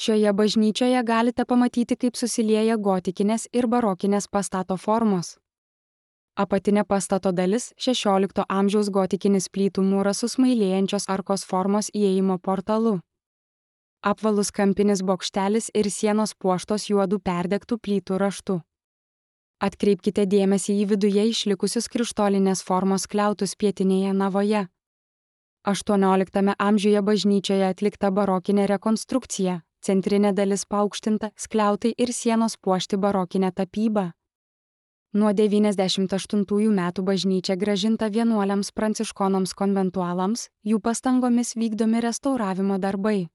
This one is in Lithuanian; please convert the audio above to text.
Šioje bažnyčioje galite pamatyti, kaip susilieja gotikinės ir barokinės pastato formos. Apatinė pastato dalis 16 amžiaus gotikinis plytų mūras su smailėjančios arkos formos įėjimo portalu. Apvalus kampinis bokštelis ir sienos puoštos juodų perdegtų plytų raštu. Atkreipkite dėmesį į viduje išlikusius krištolinės formos skliautus pietinėje navoje. 18 amžiuje bažnyčioje atlikta barokinė rekonstrukcija, centrinė dalis paaukštinta, skliautai ir sienos puošti barokinę tapybą. Nuo 98 metų bažnyčia grąžinta vienuoliams pranciškonams konventualams, jų pastangomis vykdomi restauravimo darbai.